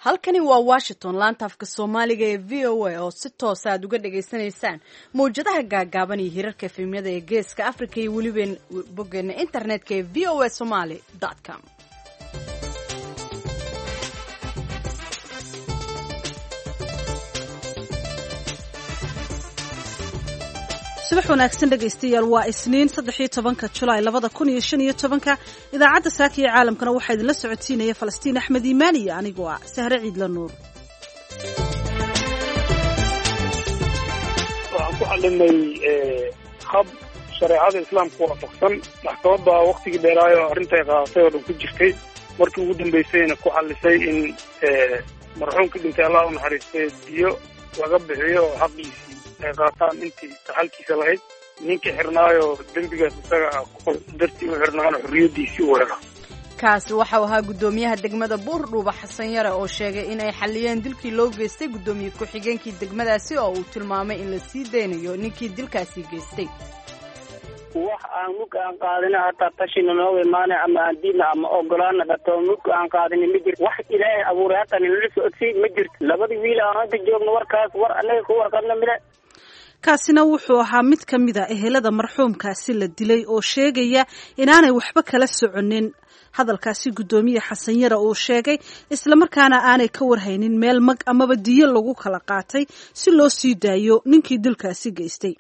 Halkani waa Washington, laanta afka Soomaaliga ee VOA oo si toosa aad uga dhagaysanaysaan mawjadaha gaagaaban iyo hirarka efemyada ee Geeska Africa iyo weliba boggeena internetka ee voasomali.com. Subax wanaagsan dhegaystayaal, waa Isniin 13-ka Julaay 2015-ka. Idaacadda saaka iyo caalamkana waxaa idinla socodsiinaya Falastiin Axmed Iimaan iyo anigoo ah Sahre Ciidla Nuur. Waxaan ku xalinay hab shareecada Islaamka waafaqsan. Maxkamadda waktigii dheeraayo arrintay qaadatay oo dhan ku jirtay, markii ugu dambaysayna ku xalisay in marxuumka dhintay, Allah u naxariistay, biyo laga bixiyo oo xaqiisii ay qaataan intii taxalkiisa lahayd, ninkii xirnaayo dembigaas isaga dartii u xirnaana xorriyaddiisii u hela. Kaasi waxau ahaa guddoomiyaha degmada Buurdhuuba, Xasan Yare, oo sheegay in ay xalliyeen dilkii loo geystay guddoomiye ku-xigeenkii degmadaasi, oo uu tilmaamay in la sii daynayo ninkii dilkaasi geystay. Wax aan mug aan qaadina, hataa tashina nooga imaana ama aan diidna ama ogolaana dhato, mug aan qaadina ma jirto. Wax Ilaahay abuuray hataa nalala socodsiy ma jirto. Labadii wiil aan hadda joogno warkaas war annaga ku warqabna mile. Kaasina wuxuu ahaa mid ka mid a ehelada marxuumkaasi la dilay oo sheegaya inaanay waxba kala soconin hadalkaasi guddoomiye Xasan Yare uu sheegay, islamarkaana aanay ka warhaynin meel mag amaba diyo lagu kala qaatay si loo sii daayo ninkii dilkaasi geystay.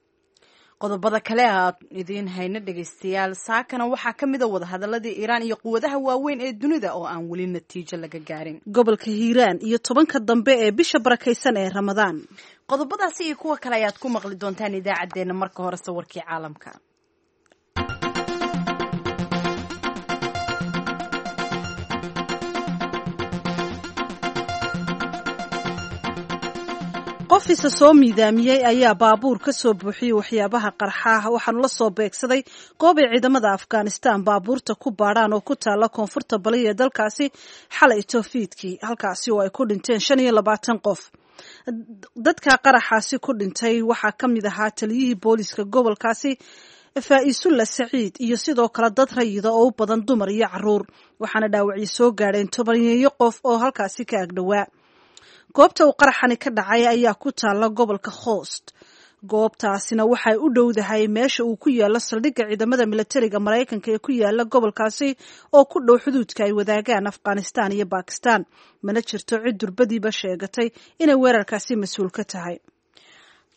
Qodobada kale aad idiin hayno dhegaystayaal saakana waxaa ka mid a wadahadaladii Iiraan iyo quwadaha waaweyn ee dunida oo aan weli natiijo laga gaarin, gobolka Hiiraan iyo 10-ka dambe ee bisha barakaysan ee Ramadaan. Qodobadaasi iyo kuwa kale ayaad ku maqli doontaan idaacaddeenna. Marka hore sawirkii caalamka. Qof isa soo miidaamiyey ayaa baabuur ka soo buuxiyey waxyaabaha qarxaah, waxaanu la soo beegsaday goob ay ciidamada Afghanistan baabuurta ku baadhaan oo ku taalla koonfurta bali ee dalkaasi xalay toofiidkii, halkaasi oo ay ku dhinteen 25 qof. Dadka qaraxaasi ku dhintay waxaa ka mid ahaa taliyihii booliiska gobolkaasi, Faa-isulla Saciid, iyo sidoo kale dad rayida oo u badan dumar iyo caruur, waxaana dhaawacii soo gaadheen tobaneeyo qof oo halkaasi ka agdhowaa. Goobta uu qaraxani ka dhacay ayaa ku taalla gobolka Khoost. Goobtaasina waxay u dhowdahay meesha uu ku yaalo saldhigga ciidamada milatariga Maraykanka ee ku yaala gobolkaasi oo ku dhow xuduudka ay wadaagaan Afghanistan iyo Bakistan. Mana jirto cid durbadiiba sheegatay inay weerarkaasi mas-uul ka tahay.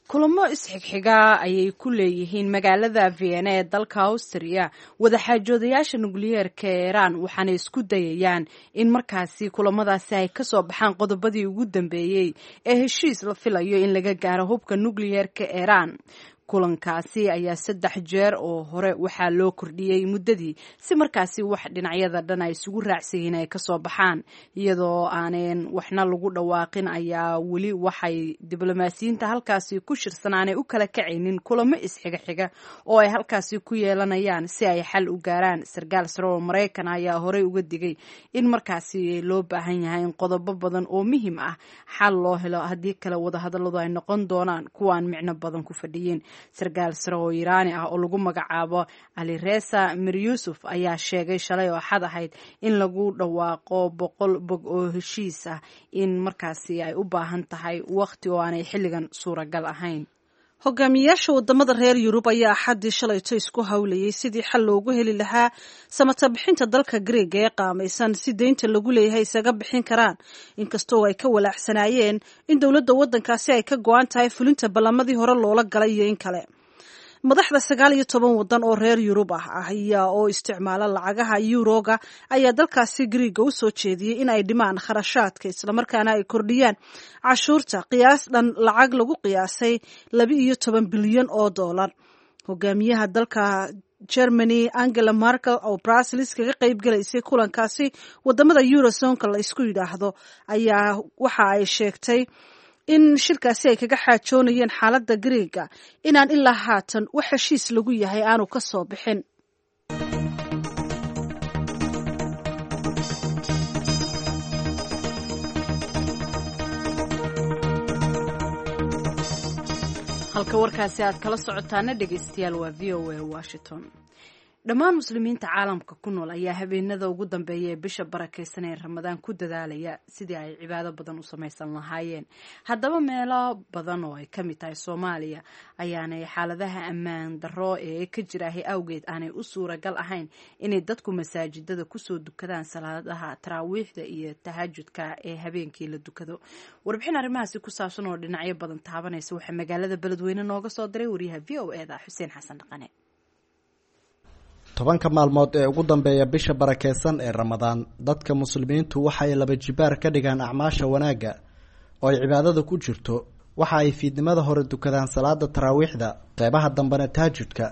Kulamo isxigxigaa ayay ku leeyihiin magaalada Vienna ee dalka Austria wadaxaajoodayaasha nukliyeerka ee Iiraan, waxaana isku dayayaan in markaasi kulamadaasi ay kasoo baxaan qodobadii ugu dambeeyey ee heshiis la filayo in laga gaaro hubka nukliyeerka Iiraan. Kulankaasi ayaa saddex jeer oo hore waxaa loo kordhiyey muddadii si markaasi wax dhinacyada dhan ay isugu raacsan yihiin ay kasoo baxaan, iyadoo aaneen waxna lagu dhawaaqin ayaa weli waxay diblomaasiyiinta halkaasi ku shirsan aanay u kala kacaynin kulamo isxiga xiga oo ay halkaasi ku yeelanayaan si ay xal u gaaraan. Sarkaal sare oo Maraykan ayaa horey uga digay in markaasi loo baahan yahay in qodobo badan oo muhiim ah xal loo helo, haddii kale wadahadalladu ay noqon doonaan kuwaan micno badan ku fadhiyin. Sarkaal sare oo Iiraani ah oo lagu magacaabo Alireza Mir Yuusuf ayaa sheegay shalay oo Axad ahayd in lagu dhawaaqo 100 bog oo heshiis ah in markaasi ay u baahan tahay wakhti oo aanay xilligan suuragal ahayn. Hogaamiyaasha wadamada reer Yurub ayaa Axaddii shalayto isku howlayay sidii xal loogu heli lahaa samata bixinta dalka Greega ee qaamaysan, si deynta lagu leeyahay isaga bixin karaan, inkastoo ay ka walaacsanaayeen in dowladda waddankaasi ay ka go-an tahay fulinta ballamadii hore loola galay iyo in kale. Madaxda 19 wadan oo reer Yurub ah ayaa oo isticmaala lacagaha yuroga ayaa dalkaasi Griiga u soo jeediyey in ay dhimaan kharashaadka, islamarkaana ay kordhiyaan cashuurta qiyaas dhan lacag lagu qiyaasay 12 bilyan oo dollar. Hogaamiyaha dalka Germany, Angela Merkel, oo Brussels kaga qayb galaysay kulankaasi wadamada eurozonka la isku yidhaahdo, ayaa waxa ay sheegtay in shirkaasi ay kaga xaajoonayeen xaaladda Greega inaan ilaa haatan wax heshiis lagu yahay aanu ka soo bixin. Halka warkaasi aad kala socotaana dhegaystayaal waa VOA Washington. Dhammaan muslimiinta caalamka ku nool ayaa habeenada ugu dambeeya ee bisha barakeysan ee Ramadaan ku dadaalaya sidii ay cibaado badan u samaysan lahaayeen. Haddaba meelo badan oo ay ka mid tahay Soomaaliya ayaanay xaaladaha ammaan darro ee ka jiraahay awgeed aanay u suuragal ahayn inay dadku masaajidada kusoo dukadaan salaadaha taraawiixda iyo tahajudka ee habeenkii la dukado. Warbixin arrimahaasi ku saabsan oo dhinacyo badan taabanaysa waxaa magaalada Beledweyne nooga soo diray wariyaha VOA da Xuseen Xasan Dhaqane. 10-ka maalmood ee ugu dambeeya bisha barakeysan ee Ramadaan, dadka muslimiintu waxay laba jibaar ka dhigaan acmaasha wanaagga oo ay cibaadada ku jirto. Waxa ay fiidnimada hore dukadaan salaada taraawiixda, qeybaha dambena tahajudka.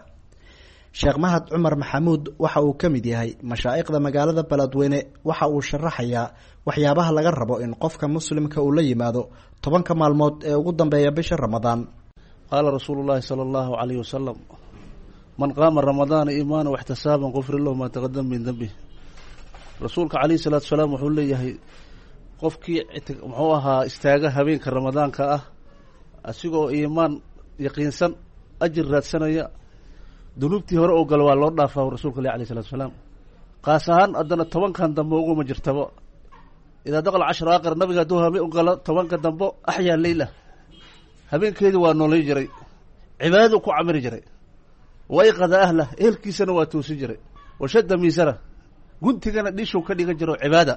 Sheekh Mahad Cumar Maxamuud waxa uu ka mid yahay mashaa'ikhda magaalada Beledweyne. Waxa uu sharaxayaa waxyaabaha laga rabo in qofka muslimka uu la yimaado 10-ka maalmood ee ugu dambeeya bisha Ramadaan. Qaala rasuulu llaahi sala allahu calayhi wasalam: man qaama ramadaana iimaana waxtisaaban qufira lahu maa taqadama min dembih. Rasuulka calayhi salaatu salaam wuxuu leeyahay, qofkii muxuu ahaa istaaga habeenka ramadaanka ah asigoo iimaan yaqiinsan, ajir raadsanaya, dunuubtii hore oo gala waa loo dhaafaa, rasuulka leh alayh salatu salaam. Qaas ahaan haddana 10-kan dambe uguma jirtaba. Idaa daqal cashar aakhir, nabiga hadduu habe u galo 10-ka dambo, axyaa leyla, habeenkeedii waa noolay jiray, cibaadadu ku camiri jiray, wayqada ahlah, ehelkiisana waa toosin jiray, washadda miisana, guntigana dhishuu ka dhigan jiro cibaada,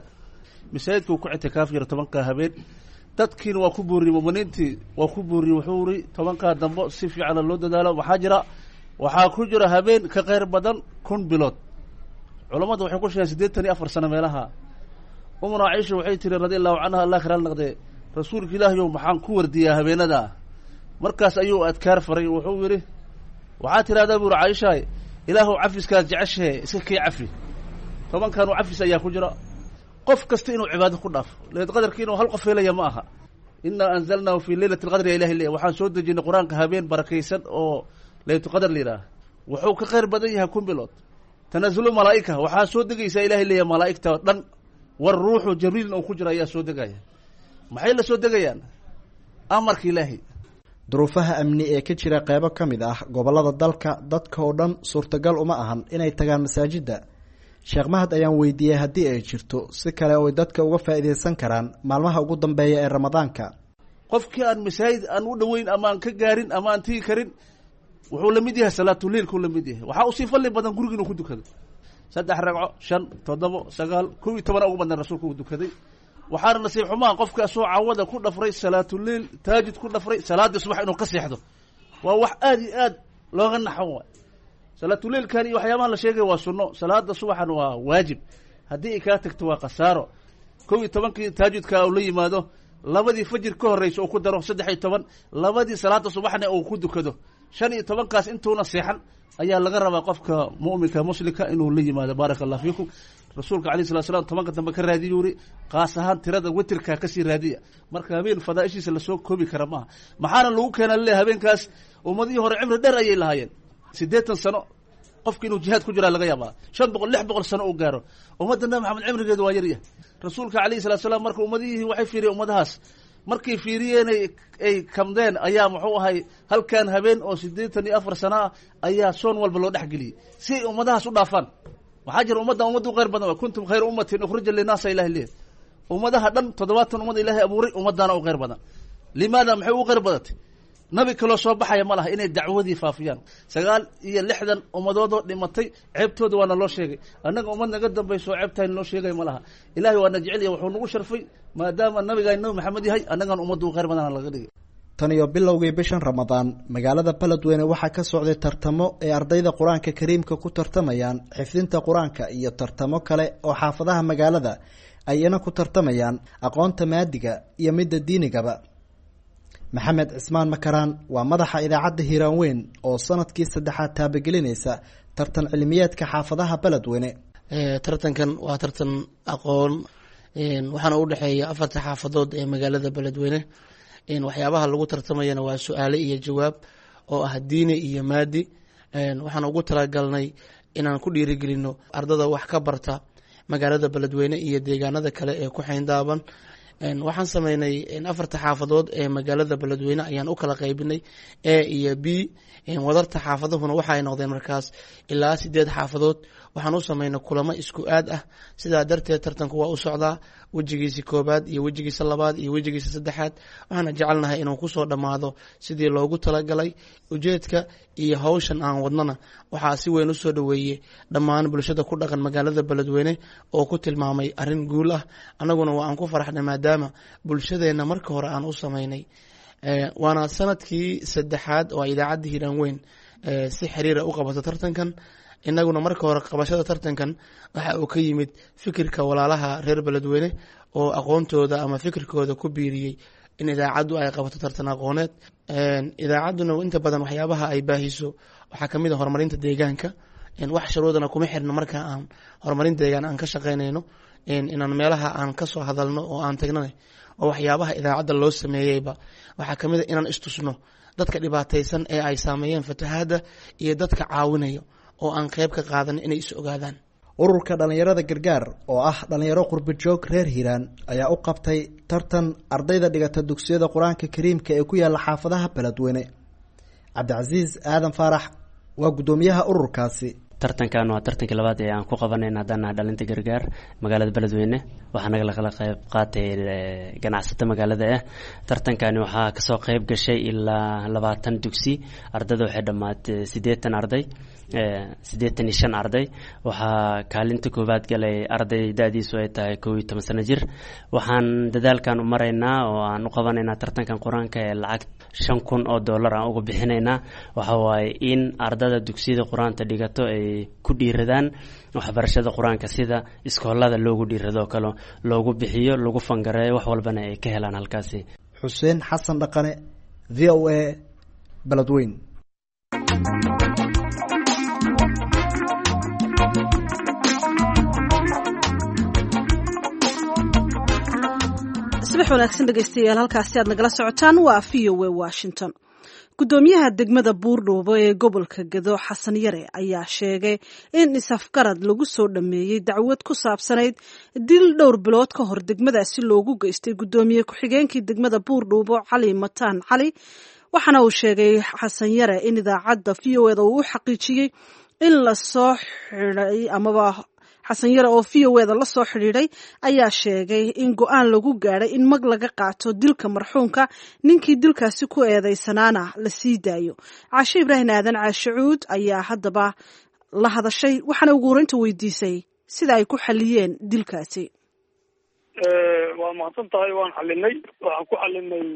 masaajidkuu ku ictikaaf jira 10-kaa habeen. Dadkiina waa ku booriyey, muminiintii waa ku booriyey. Wuxuu uri 10-kaa dambo si fiicana loo dadaalo. Waxaa jira, waxaa ku jira habeen ka kheyr badan 1000 bilood. Culammadu waxay ku sheegeen 84 sano meelaha. Umuna Caisha waxay tiri, radi allahu canha, allah karaal naqdee: "Rasuulka Ilaahayow, maxaan ku wardiyaa habeenada?" Markaas ayuu adkaar faray. Wuxuu yidhi: "Waxaa tidhahdaa," buu uri, "Caishaay, Ilaahuw cafiskaad jeceshahe iska kii cafi." 10-kanu cafis ayaa ku jira. Qof kasta inuu cibaado ku dhaafo leed qadarki inuu hal qof helaya ma aha. Innaa anzalnaahu fii leylati alqadri, ya Ilahi leeya. Waxaan soo dejinay Qur-aanka habeen barakaysan oo Leylatulqadar la yidhaha. Wuxuu ka khayr badan yahay 1000 bilood. Tanazulu malaa'ika, waxaa soo degaysaa, Ilahay leeya, malaa'igta dhan, war ruuxu Jibriilna uu ku jira ayaa soo degaya. Maxay la soo degayaan? Amarka Ilaahay. Duruufaha amni ee ka jira qeybo ka mid ah gobollada dalka, dadka oo dhan suurtagal uma ahan inay tagaan masaajidda. Sheekh Mahad ayaan weydiiyey haddii ay jirto si kale oo ay dadka uga faa'iidaysan karaan maalmaha ugu dambeeya ee Ramadaanka. Qofkii aan masaajid aan u dhoweyn ama aan ka gaarin ama aan tigi karin, wuxuu la mid yahay salaatuleilkuu la mid yahay. Waxaa usii fadli badan guriga inuu ku dukado saddex ragco, shan, toddobo, sagaal, 11 ugu badnan rasuulka uu dukaday. Waxaana nasiib xumaa qofka asoo cawada ku dhafray salaatuleil, taajid ku dhafray, salaaddii subax inuu ka seexdo. Waa wax aada iyo aad looga naxo waay. Salaatuleilkan iyo waxyaabaha la sheegaya waa sunno, salaada subaxan waa waajib. Haddii ay kaa tagto waa khasaaro. 11-kii taajudka uu la yimaado, labadii fajir ka horreysa uu ku daro, 13, labadii salaada subaxna uu ku dukado, 15-kaas intuuna seexan ayaa laga rabaa qofka mu'minka muslimka inuu la yimaado. Baaraka allah fiikum. Rasuulka alayh salat slam 10-ka dambe ka raadiyu yuri, qaas ahaan tirada witirka kasii raadiya. Marka habeen fadaaishiisa lasoo koobi kara maaha. Maxaana lagu keena lele habeenkaas? Ummadihii hore cimri dheer ayay lahaayeen. 80 sano qofki inuu jihaad ku jiraa laga yaabaa, 500, 600 sano uu gaaro. Ummadda Nabi Maxamed cimrigeedu waa yaryahay. Rasuulka calayhi salatu salaam marka ummadihii waxay fiiriyeen, ummadahaas markay fiiriyeen ay kamdeen, ayaa muxuu ahay halkan habeen oo 84 sano ah ayaa soon walba loo dhexgeliyey si ay ummadahaas u dhaafaan. Waxaa jira ummaddan ummaddu khayr badan. Kuntum khayra ummatin ukhrija linaasa, Ilahi leeyahy. Ummadaha dhan, 70 ummad Ilaahay abuuray, ummaddaana u khayr badan. Limaada? Maxay ugu khayr badatay? Nabi kaloo soo baxaya ma laha, inay dacwadii faafiyaan. 69 ummadoodoo dhimatay ceebtooda waana loo sheegay. Annaga ummad naga dambayso ceebtaan loo sheegay ma laha. Ilahay waana jecel yahay, wuxuu nagu sharfay maadaama nabigaa Nabi Maxamed yahay, annagan ummaddu u khayr badana laga dhigay. Tan iyo bilowgii bishan Ramadaan, magaalada Beledweyne waxaa ka socday tartamo ay ardayda Qur-aanka Kariimka ku tartamayaan xifdinta Qur-aanka iyo tartamo kale oo xaafadaha magaalada ay iyana ku tartamayaan aqoonta maadiga iyo midda diinigaba. Maxamed Cismaan Makaraan waa madaxa idaacadda Hiiraan Weyn oo sanadkii saddexaad taabagelinaysa tartan cilmiyeedka xaafadaha Beledweyne. Tartankan waa tartan aqoon, waxaana u dhexeeya afarta xaafadood ee magaalada Beledweyne. Waxyaabaha lagu tartamayana waa su-aale iyo jawaab oo ah diini iyo maadi. Waxaan ugu talagalnay inaan ku dhiirigelino ardada wax ka barta magaalada Beledweyne iyo deegaanada kale ee ku xeyndaaban. Waxaan sameynay afarta xaafadood ee magaalada Beledweyne ayaan u kala qaybinay A iyo B. Wadarta xaafaduhuna waxaay noqdeen markaas ilaa 8 xaafadood. Waxaan u sameynay kulamo isku aad ah, sidaa darteed tartanku waa u socdaa wejigiisa koobaad iyo wejigiisa labaad iyo wejigiisa saddexaad. Waxaana jecelnahay inuu kusoo dhammaado sidii loogu talagalay. Ujeedka iyo hawshan aan wadnana waxaa si weyn usoo dhoweeyey dhammaan bulshada ku dhaqan magaalada Beledweyne oo ku tilmaamay arrin guul ah. Annaguna waa aan ku faraxnay maadaama bulshadeenna marka hore aan u sameynay. Waana sanadkii saddexaad oo idaacadda Hiiraan Weyn si xiriira u qabato tartankan. Inaguna marka hore qabashada tartankan waxa uu ka yimid fikirka walaalaha reer Beledweyne oo aqoontooda ama fikirkooda ku biiriyey in idaacaddu ay qabato tartan aqooneed. Idaacadduna inta badan waxyaabaha ay baahiso waxaa kamid a horumarinta deegaanka. Wax shuruudana kuma xirno marka aan horumarin deegaan aan ka shaqeynayno inaan meelaha aan kasoo hadalno oo aan tagnana, oo waxyaabaha idaacadda loo sameeyeyba waxaa kamid a inaan istusno dadka dhibaataysan ee ay saameeyeen fatahaadda iyo dadka caawinayo oo aan qeyb ka qaadan inay is ogaadaan. Ururka dhallinyarada Gargaar oo ah dhallinyaro qurbajoog reer Hiiraan ayaa u qabtay tartan ardayda dhigata dugsiyada Qur-aanka Kariimka ee ku yaala xaafadaha Beledweyne. Cabdicasiis Aadan Faarax waa guddoomiyaha ururkaasi. Tartankan waa tartankii labaad ee aan ku qabanayna haddaan nahay dhalinta Gargaar magaalada Beledweyne. Waxaa naga kala qayb qaatay ganacsato magaalada ah. Tartankani waxaa kasoo qayb gashay ilaa 20 dugsi. Ardayda waxay dhammaatay 80 arday, 85 arday. Waxaa kaalinta koowaad galay arday da-diisu ay tahay 11 sano jir. Waxaan dadaalkan u maraynaa oo aan u qabanaynaa tartankan qur-aanka ee lacag $5,000 aan uga bixinaynaa, waxa waaye in ardada dugsiyada qur-aanta dhigato ay ku dhiiradaan waxbarashada qur-aanka, sida iskoolada loogu dhiirado kale loogu bixiyo, lagu fangareeyo, wax walbana ay ka helaan halkaasi. Xuseen Xasan Dhaqane, VOA, Beledweyn. Subax wanaagsan dhegeystayaal, halkaasi aad nagala socotaan waa VOA Washington. Guddoomiyaha degmada Buurdhuubo ee gobolka Gedo, Xasan Yare, ayaa sheegay in isafgarad lagu soo dhammeeyey dacwad ku saabsanayd dil dhowr bilood ka hor degmadaasi loogu geystay guddoomiye ku-xigeenkii degmada Buurdhuubo, Cali Mataan Cali. Waxaana uu sheegay Xasan Yare in idaacadda VOA da uu u xaqiijiyey in lasoo xidhay amaba Xasan Yare oo VOA da la soo xidhiidhay ayaa sheegay in go-aan lagu gaadhay in mag laga qaato dilka marxuumka, ninkii dilkaasi ku eedeysanaana la sii daayo. Caashe Ibraahim Aadan Caashicuud ayaa haddaba la hadashay, waxaana ugu horeynta weydiisay sida ay ku xaliyeen dilkaasi. Waa mahadsan tahay. Waan xalinay, waxaan ku xalinay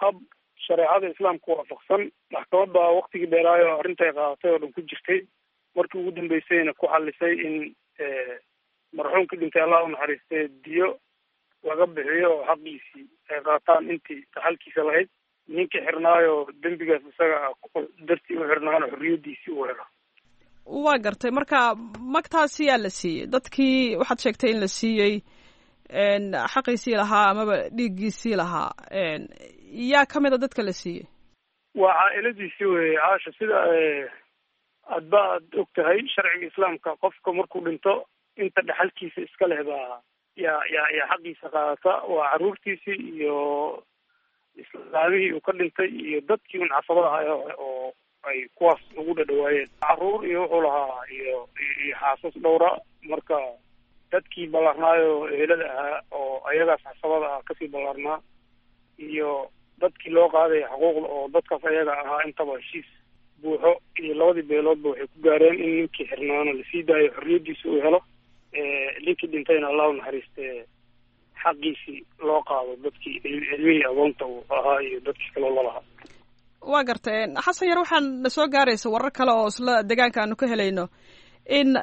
hab shareecada Islaamka waafaqsan. Maxkamadda waktigii dheeraayo arrintay qaadatay oo dhan ku jirtay, markii ugu dambeysayna ku xalisay in marxuumkii dhintay, Allah u naxariistay, diyo laga bixiyo oo xaqiisii ay qaataan intii taxalkiisa lahayd, ninkii xirnaayo dembigaas isaga dartii u xirnaana xorriyadiisii uu helo. Waa gartay. Marka magtaasi yaa la siiyey? Dadkii waxaad sheegtay in la siiyey xaqiisii lahaa amaba dhiiggiisii lahaa, yaa ka mid a dadka la siiyey? Waa caa-iladiisii weye, Caasha. Sida adba aad og tahay, sharciga Islaamka qofka markuu dhinto inta dhexalkiisa iska leh baa yaa xaqiisa qaadata. Waa carruurtiisii iyo islaamihii uu ka dhintay iyo dadkii un casabada ahaa oo ay kuwaas ugu dhadhawaayeen. Carruur iyo wuxuu lahaa iyo xaasas dhowra. Marka dadkii ballaarnaayo ehelada ahaa oo ayagaas casabada ah kasii ballaarnaa iyo dadkii loo qaadaya xuquuqda oo dadkaas ayaga ahaa, intaba heshiis buuxo iyo labadii beeloodba waxay ku gaareen in ninkii xirnaana lasii daayo, xorriyadiisa uu helo, ninkii dhintayna, Allah u naxariistee, xaqiisii loo qaado dadkii ilmihii agoonta uu ahaa iyo dadkii kaloo lalahaa. Waa gartay, Xasan Yar. Waxaan na soo gaaraysa warar kale oo isla deegaanka aanu ka helayno in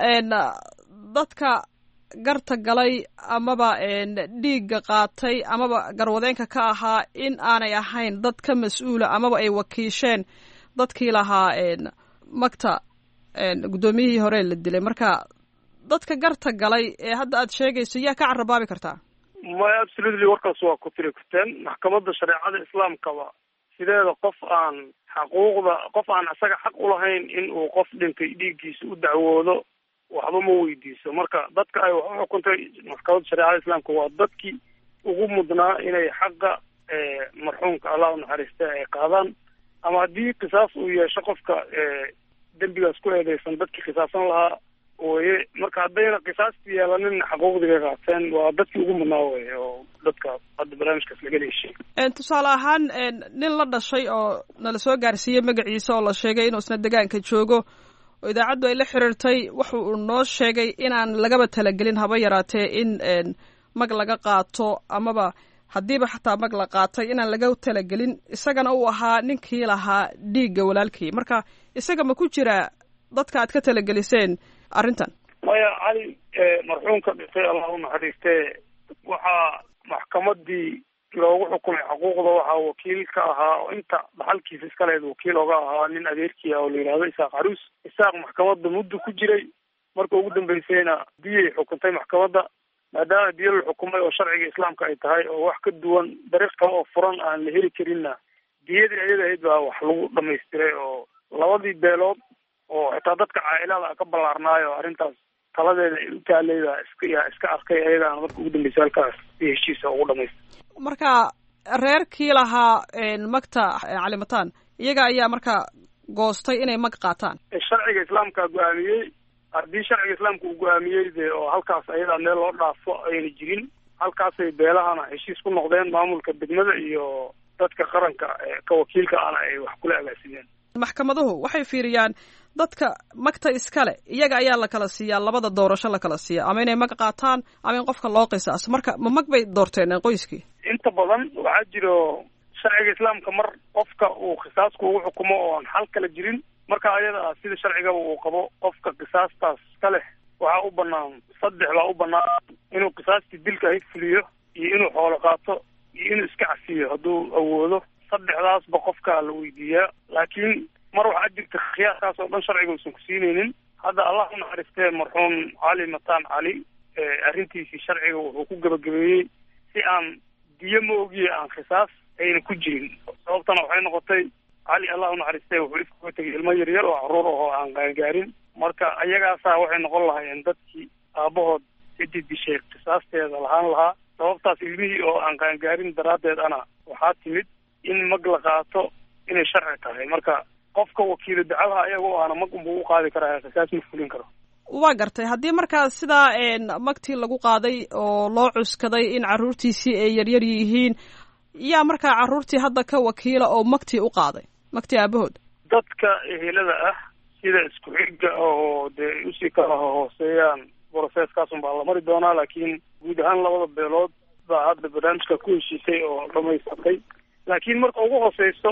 dadka garta galay amaba dhiigga qaatay amaba garwadeenka ka ahaa in aanay ahayn dad ka mas-uula amaba ay wakiisheen dadkii lahaa magta guddoomiyihii hore la dilay. Marka dadka garta galay ee hadda aad sheegayso yaa ka carabaabi kartaa? Maya, absolutely, warkaas waa ku tiri kurteen. Maxkamadda shareecada Islaamkaba sideeda qof aan xaquuqda, qof aan isaga xaq ulahayn in uu qof dhintay dhiiggiisa u dacwoodo, waxba ma weydiiso. Marka dadka ay wax u xukuntay maxkamadda shareecada Islaamka waa dadkii ugu mudnaa inay xaqa marxuumka Allah u naxariista ay qaadaan, ama haddii qisaas uu yeesho qofka dembigaas ku eedeysan dadkii qisaasan lahaa weye. Marka haddayna qisaastii yeelanin xaquuqdii bay qaateen, waa dadkii ugu mudnaa weye oo dadka hadda barnaamijkaas laga heshiy. Tusaale ahaan nin la dhashay oo nala soo gaarsiiyey magaciisa oo la sheegay inuu isna degaanka joogo oo idaacaddu ay la xiriirtay, wuxu uu noo sheegay inaan lagaba talagelin haba yaraatee in mag laga qaato, amaba haddiiba xataa mag la qaatay inaan laga talagelin, isagana uu ahaa ninkii lahaa dhiigga walaalkii. Marka isaga ma ku jiraa dadka aad ka talageliseen arrintan? Maya, Cali marxuumka dhintay Allah u naxariistee waxaa maxkamadii loogu xukumay xaquuqda waxaa wakiil ka ahaa oo inta dhaxalkiisa iska lehed wakiil oga ahaa nin adeerkii ah oo la yidhaahdo Isaaq Caruus. Isaaq maxkamadda muddo ku jiray, marka ugu dambeysayna diyay xukuntay maxkamadda. Maadaama diyo la xukumay oo sharciga islaamka ay tahay oo wax ka duwan dariiq kale oo furan aan la heli karinna, diyadii ayada ahayd baa wax lagu dhamaystiray oo labadii beelood oo xitaa dadka caailada ka ballaarnaayo arrintaas taladeeda ay u taalay baa iska iska arkay, ayadaana marka ugu dambeysay halkaas si heshiisa ugu dhamaystay. Marka reerkii lahaa magta Calimataan iyaga ayaa marka goostay inay mag qaataan. Sharciga islaamka go-aamiyey. Haddii sharciga islaamka uu go-aamiyey dee oo halkaas ayadaa meel loo dhaafo ayna jirin, halkaasay beelahana heshiis ku noqdeen, maamulka degmada iyo dadka qaranka ka wakiilka ahna ay wax kula agaasimeen. Maxkamaduhu waxay fiiriyaan dadka magta iskale, iyaga ayaa la kala siiyaa labada doorasho la kala siiya, ama inay mag qaataan ama in qofka loo qisaaso. Marka ma mag bay doorteen qoyskii? Inta badan waxaa jiro sharciga islaamka mar qofka uu qisaasku ugu xukumo oo aan xal kala jirin, marka ayada ah sida sharcigaba uu qabo qofka qisaastaas ka leh waxaa u banaan saddex baa u banaan: inuu qisaastii dilka ahayd fuliyo, iyo inuu xoolo qaato, iyo inuu iska cafiyo hadduu awoodo. Saddexdaasba qofkaa la weydiiyaa. Laakiin mar waxaa jirta khiyaarkaas oo dhan sharciga uusan ku siinaynin. Hadda Allah u naxariistee marxuum Cali Mataan Cali arrintiisii sharciga wuxuu ku gebagabeeyey si aan diyo ma ogiye aan khisaas ayna ku jirin. Sababtana waxay noqotay Cali Allah u naxariistee wuxuu ifkaga tegay ilmo yaryar oo carruur ahoo aan qaangaarin. Marka ayagaasaa waxay noqon lahaayeen dadkii aabahood ciddii dishay qisaasteeda lahaan lahaa. Sababtaas ilmihii oo aan qaangaarin daraaddeed ana waxaa timid in mag la qaato inay sharci tahay. Marka qofka wakiilo dacwaha ayaga oo aana mag unbuu u qaadi karaa, qisaas ma fulin karo. Waa gartay. Haddii markaa sidaa magtii lagu qaaday oo loo cuskaday in carruurtiisii ay yaryar yihiin, yaa markaa carruurtii hadda ka wakiila oo magtii u qaaday, magtii aabahood? Dadka ehelada ah sida isku xigga oo dee usii kala hooseeyaan broseskaas unbaa la mari doonaa. Laakiin guud ahaan labada beelood baa hadda barnaamijka ku heshiisay oo dhamaysatay. Laakiin marka ugu hooseyso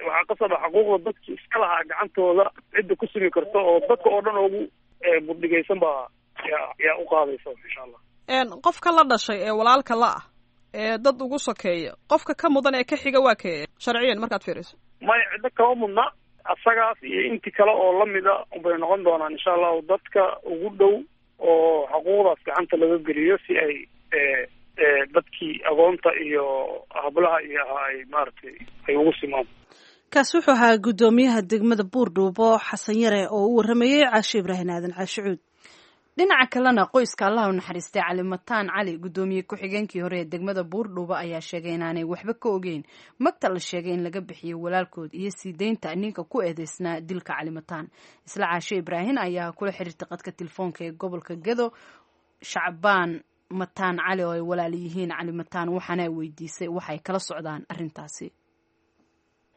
waxaa qasaba xaquuqda dadki iska lahaa gacantooda cidda ku simi karto oo dadka oo dhan ugu buddhigaysan baa yaa u qaadaysa insha Allah. Qofka la dhashay ee walaalka la ah ee dad ugu sokeeya, qofka ka mudan ee ka xiga waa kee sharciyan markaad fiiriso? Maya, ciddo kama mudna, asagaas iyo intii kale oo lamida unbay noqon doonaan insha allahu dadka ugu dhow oo xaquuqdaas gacanta laga geliyo si ay dadkii agoonta iyo hablaha iyo ahaa ay maaragtay ay ugu simaan. Kaasi wuxuu ahaa guddoomiyaha degmada Buurdhuubo Xasan Yare oo u waramayey Caashe Ibraahim Aadan Caashicuud. Dhinaca kalena qoyska Allah u naxariistay Calimataan Cali, guddoomiye ku-xigeenkii hore ee degmada Buurdhuubo, ayaa sheegay inaanay waxba ka ogeyn magta la sheegay in laga bixiyo walaalkood iyo sii deynta ninka ku eedeysnaa dilka Calimataan. Isla Caashe Ibraahim ayaa kula xiriirtay qadka telefoonka ee gobolka Gedo Shacbaan Mataan Cali oo ay walaal yihiin Calimataan, waxaana weydiisay waxay kala socdaan arrintaasi.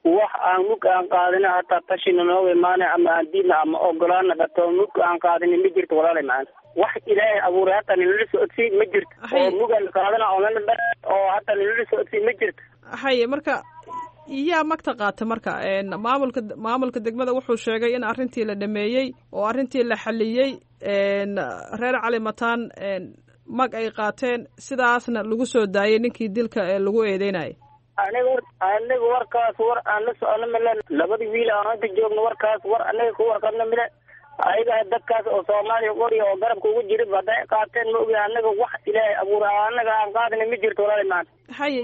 Wax aan mug aan qaadina hataa tashina nooga imaanay ama aan diidna ama ogolaana dhato mug aan qaadina ma jirto walaalay macaan. Wax Ilaahay abuuray hataa nalala socodsiin ma jirto oo mugaan qaadana oo nala dha oo hataa nalala socodsiin ma jirto. Haye, marka yaa magta qaata? Marka maamulka degmada wuxuu sheegay in arrintii la dhameeyey oo arrintii la xaliyey, reer Calimataan mag ay qaateen, sidaasna lagu soo daayay ninkii dilka ee lagu eedeynayay. Aniga warkaas war aan la socono male, labadii wiil aan hadda joogno warkaas war anaga ku warqabno male. Ayaga dadkaas oo Soomaaliya qoriya oo garabka ugu jira hadday qaateen ma ogi, anaga wax Ilaahay abuura anaga aan qaadina ma jirto walaali maanta. Haye,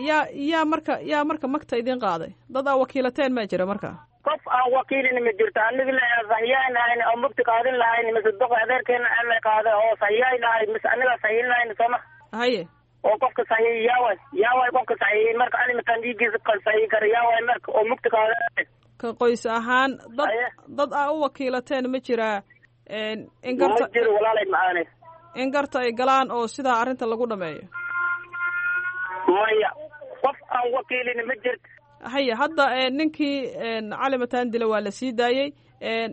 yaa marka magta idin qaaday? Dad aa wakiilateen ma jira marka? Qof aan wakiilina ma jirto. Aniga la sahiyayn lahayn oo mugti qaadin lahayn mise doqa adeerkeena aan la qaaday oo sahiyayn lahayn mise anaga sahiyin lahayn sooma. Haye, Oo qofka saxiixiyay yaaway, yaaway qofka saxiixiyay marka Cali Mataan dhiiggiisa saxiixi kara yaaway marka oo mugta qaada. Ka qoys ahaan dad aa u wakiilateen ma jiraa in garta Ma jiro, walaalay macaane. In garta ay galaan oo sidaa arrinta lagu dhameeyo? Maya, qof aan wakiilin ma jirto. Haya, hadda ninkii Cali Mataan dila waa la sii daayey,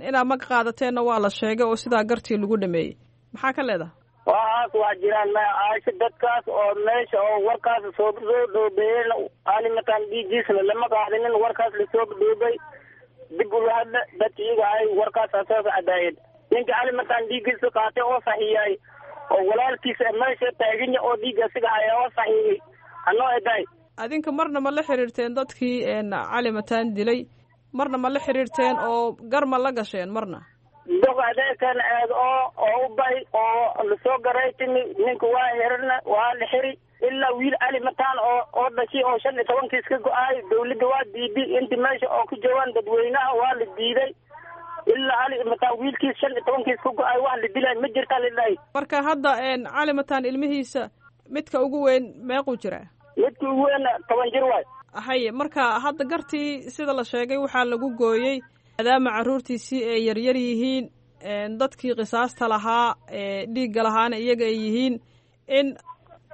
inaad mag qaadateenna waa la sheegay oo sidaa gartii lagu dhameeyey. Maxaa ka leedahay? Waxaas waa jiraan maya Caasho, dadkaas oo meesha oo warkaas soo dhoobeeyeen, Cali Mataan dhiiggiisna lama qaadinin. Warkaas lasoo dhoobay dib ula hadla dadka iyaga ay warkaas soo cadaayeen. Ninka Cali Mataan dhiiggiisa qaatay oo saxiiyay oo walaalkiisa meesha taaganya oo dhiigga asiga haya oo saxiiyay hanoo edaay. Adinka marna ma la xiriirteen dadkii Cali Mataan dilay? Marna ma la xiriirteen oo gar ma la gasheen marna? Dog adeekan eed oo u bay oo lasoo garay timi, ninka waa xirina, waa la xiri ilaa wiil Cali Mataan oo dhashay oo 15-kiis ka go-aay. Dawladda waa diiday inti meesha oo ku joogaan dadweynaha, waa la diiday ilaa Cali Mataan wiilkiis 15-kiis ka go-aay wax la dilay ma jirta lilahi. Marka hadda Cali Mataan ilmihiisa midka ugu weyn meequu jiraa? Midka ugu weyn 10 jir waay. Haye, marka hadda gartii sida la sheegay waxaa lagu gooyey maadaama carruurtiisii ay yaryar yihiin, dadkii qisaasta lahaa ee dhiigga lahaana iyaga ay yihiin, in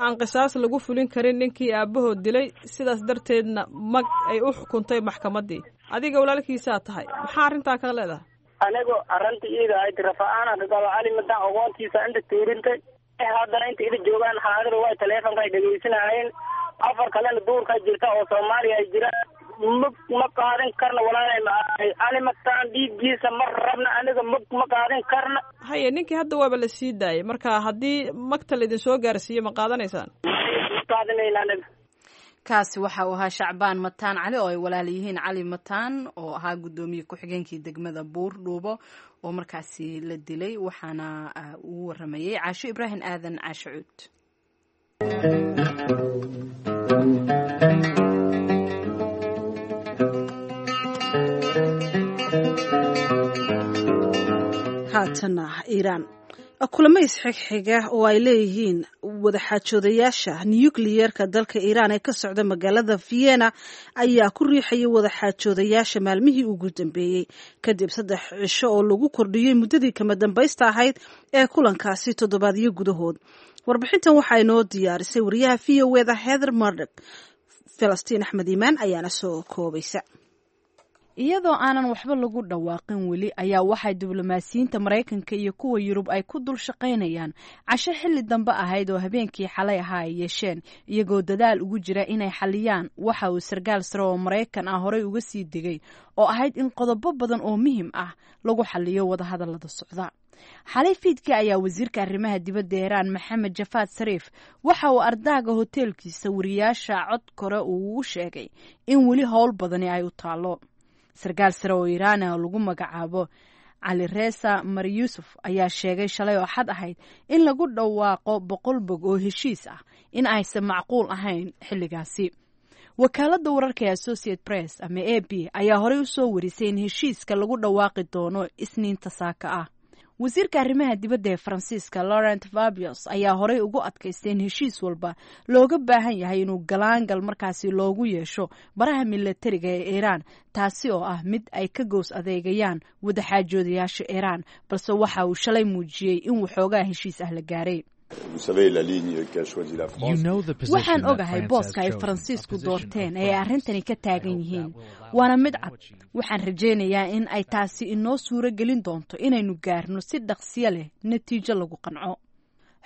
aan qisaas lagu fulin karin ninkii aabbahood dilay, sidaas darteedna mag ay u xukuntay maxkamaddii. Adiga walaalkiisaa tahay, maxaa arrintaa ka leedahay? Anigu arrinta iida ayd rafa-aan ka qaba. Cali Mataan ogoontiisa inta tuurintay, haddana inta ida joogaan xaadir way taleefonka ay dhegeysanayeen, afar kalena duurkaa jirta oo Soomaaliya ay jiraan. Mug ma qaadan karna, walaalay macaanay, Cali Mataan dhiiggiisa ma rabna aniga, mug ma qaadan karna. Haye, ninkii hadda waaba la sii daayay, marka haddii magta laidin soo gaarsiiyo ma qaadanaysaan? Ma qaadanayna aniga. Kaasi waxa uu ahaa Shacbaan Mataan Cali oo ay walaal yihiin Cali Mataan oo ahaa guddoomiye ku-xigeenkii degmada Buur Dhuubo oo markaasi la dilay, waxaana uu waramayey Caasho Ibraahim Aadan Caasho Cuud. Haatana Iiraan. Kulamo isxigxiga oo ay leeyihiin wadaxaajoodayaasha nukliyeerka dalka Iiraan ee ka socda magaalada Vienna ayaa ku riixayay wadaxaajoodayaasha maalmihii ugu dambeeyey, kadib 3 cisho oo lagu kordhiyey muddadii kama dambaysta ahayd ee kulankaasi toddobaadyo gudahood. Warbixintan waxaa inoo diyaarisay wariyaha VOA-da Heather Murdock, Falastiin Axmed Iimaan ayaana soo koobaysa. Iyadoo aanan waxba lagu dhawaaqin weli ayaa waxay diblomaasiyiinta Maraykanka iyo kuwa Yurub ay ku dul shaqaynayaan casho xilli dambe ahayd oo habeenkii xalay ahaa ay yeesheen, iyagoo dadaal ugu jira inay xaliyaan waxa uu sarkaal sare oo Maraykan ah horey uga sii degay oo ahayd in qodobo badan oo muhiim ah lagu xaliyo wadahadallada socda. Xalay fiidkii ayaa wasiirka arrimaha dibadda Iiraan Maxamed Jafaad Sariif waxa uu ardaaga hoteelkiisa wariyaasha cod kore uu ugu sheegay in weli howl badani ay u taallo. Sarkaal sare oo Iiraan ah oo lagu magacaabo Cali Reesa Mar Yuusuf ayaa sheegay shalay oo xad ahayd in lagu dhawaaqo 100 bog oo heshiis ah in aysan macquul ahayn xilligaasi. Wakaaladda wararka ee Associate Press ama AP ayaa horey u soo warisay in heshiiska lagu dhawaaqi doono Isniinta saaka ah. Wasiirka arrimaha dibadda ee Faransiiska Laurent Fabius ayaa horey ugu adkaystay in heshiis walba looga baahan yahay inuu galaangal markaasi loogu yeesho baraha milatariga ee Iiraan, taasi oo ah mid ay ka gows adeegayaan wadaxaajoodayaasha Iiraan, balse waxa uu shalay muujiyey in waxoogaa heshiis ah la gaaray. Waxaan ogahay booska ay Faransiisku doorteen ee ay arrintani ka taagan yihiin, waana mid cad. Waxaan rajaynayaa in ay taasi inoo suuro gelin doonto inaynu gaarno si dhaqsiyo leh natiijo lagu qanco.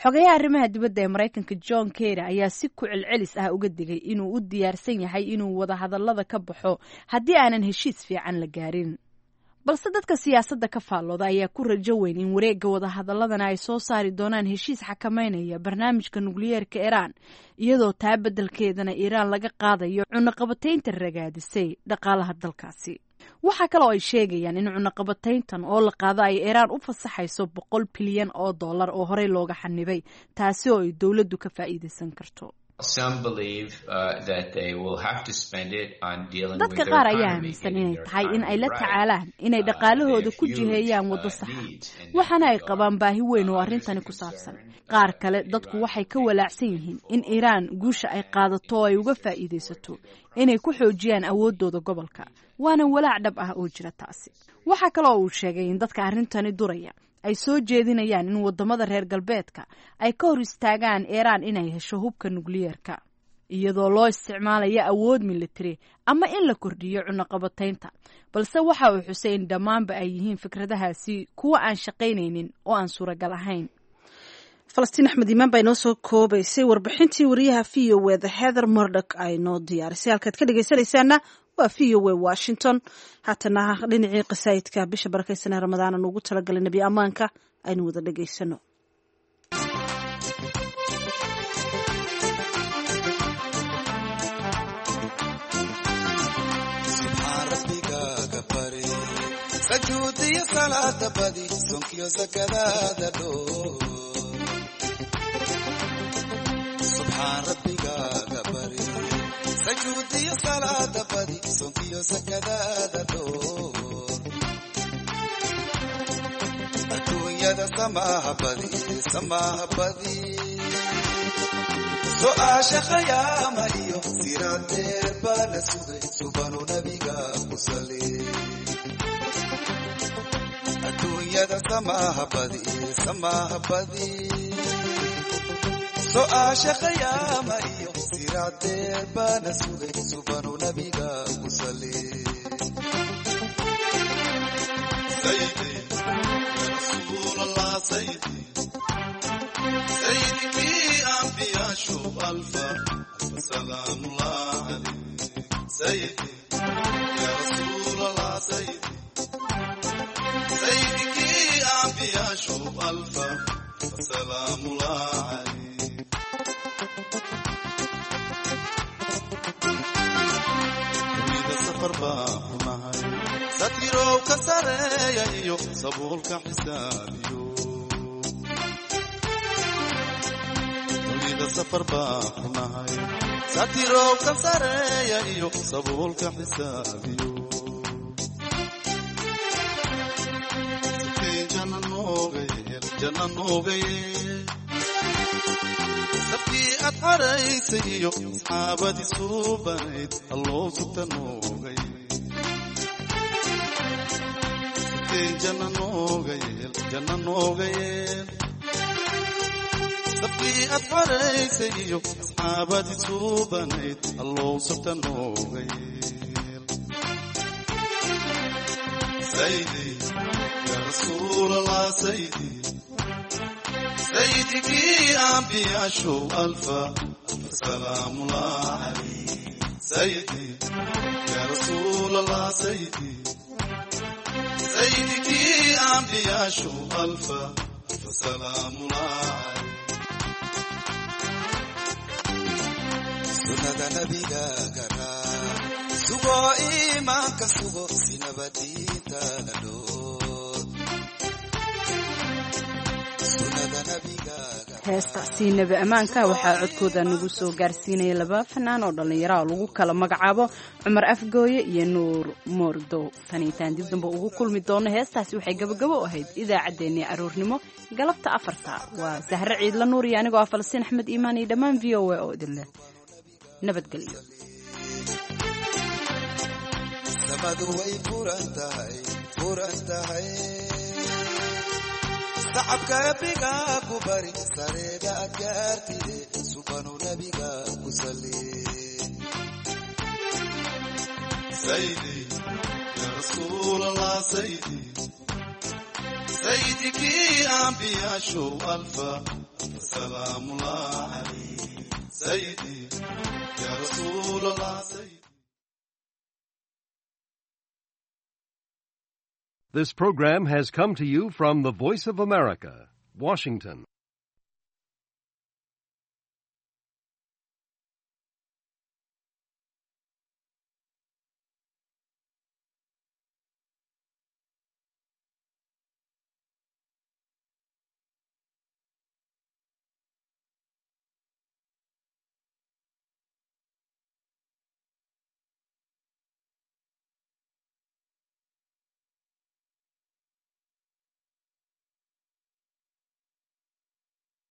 Xogayaha arrimaha dibadda ee Maraykanka John Kerry ayaa si ku celcelis ah uga digay inuu u diyaarsan yahay inuu wadahadallada ka baxo haddii aanan heshiis fiican la gaarin, balse dadka siyaasadda ka faallooda ayaa ku rajo weyn in wareegga wadahadaladana ay soo saari doonaan heshiis xakameynaya barnaamijka nukliyeerka Iiraan, iyadoo taa beddelkeedana Iiraan laga qaadayo cunaqabataynta ragaadisay dhaqaalaha dalkaasi. Waxaa kale oo ay sheegayaan in cunaqabatayntan oo la qaado ay Iiraan u fasaxayso 100 bilyan oo dollar oo horey looga xanibay, taasi oo ay dowladdu ka faa'iidaysan karto. Dadka qaar ayaa aaminsan inay tahay in ay la tacaalaan inay dhaqaalahooda ku jiheeyaan waddo saxa, waxaana ay qabaan baahi weyn oo arrintani ku saabsan. Qaar kale dadku waxay ka walaacsan yihiin in Iiraan guusha ay qaadato oo ay uga faa'iidaysato inay ku xoojiyaan awooddooda gobolka, waana walaac dhab ah oo jira taasi. Waxaa kale oo uu sheegay in dadka arrintani duraya ay soo jeedinayaan in wadamada reer galbeedka ay ka hor istaagaan Iiraan inay hesho hubka nukliyeerka iyadoo loo isticmaalayo awood militari ama in la kordhiyo cunaqabataynta, balse waxa uu xusay in dhammaanba ay yihiin fikradahaasi kuwa aan shaqaynaynin oo aan suuragal ahayn. Falastiin Axmed Iimaan baa inoo soo koobaysay warbixintii wariyaha v o e da Heather Murdock ay noo diyaarisay. Halkaad ka dhegaysanaysaana waa v o e Washington. Haatana dhinacii qasaayidka bisha barakaysanee Ramadaan aan ugu talagalay nebi ammaanka aynu wada dhegaysano. Sajuudiyo salaada badi, sonkiyo sakadaada dhoo. Subxaan rabbigaaga bari, sajuudiyo salaada badi, sonkiyo sakadaada dhoo. Adduunyada samaaha badi, samaaha badi. Su'aasha khayaama iyo siraadeer baa la sugay, subanu nabiga ku sali. Adduunyada samaaha badi, samaaha badi. Su'aasha khayaama iyo siraadeer baana sugay, subanu nabiga ku sali. Sayidi ya Rasuulallah, sayidi sayidikii ambiyaashu alfa alfa salaamullah calayh. Sayidi ya Rasuulallah, sayidi sayidikii ambiyaashu alfa alfa salaamullah calayh. Dunida safar baa ku nahay, satirow ka sareeya iyo sabuulka xisaabiyo. Dunida safar baa ku nahay, satirow ka sareeya iyo sabuulka xisaabiyo. Sitee jana nooga yeel, jana nooga yeel. Sabkii aad xaraysay iyo asxaabadii suubanayd, alloo sugta nooga yeel. Sitee jana nooga yeel, jana nooga yeel. Sabkii aad xaraysay iyo asxaabadii suubanayd, alloo sugta nooga yeel. Sayidi ya Rasuulallah, sayidi sayidikii ambiyaashu alfa alfa salaamullah calayh. Sayidi ya Rasuulallah, sayidi sayidikii ambiyaashu alfa alfa salaamullah calayh. Sunnada nabiga garaa sugo, iimaanka sugo, sinaba diintaada dhoor. Sunnada nabiga. Heestaasi nebi ammaanka waxaa codkooda nagu soo gaarsiinaya laba fanaan oo dhallinyaro oo lagu kala magacaabo Cumar Afgooye iyo Nuur Moordow. Tan intaan dib dambe ugu kulmi doono, heestaasi waxay gabagabo u ahayd idaacaddeenii aroornimo galabta 4ta. Waa Sahre Ciidla Nuur iyo anigoo ah Falastiin Axmed Iimaan iyo dhammaan v o a oo idin leh nabadgelyo. Samadu way furan tahay, furan tahay. Sacabka biga ku bari, sareeda aad gaartide, subanu nabiga ku sali. Sayidi ya Rasuulallah, sayidi sayidikii ambiyaashu alfa alfa salaamullah calayh. Sayidi ya Rasuulallah, sayidi. This program has come to you from the Voice of America, Washington.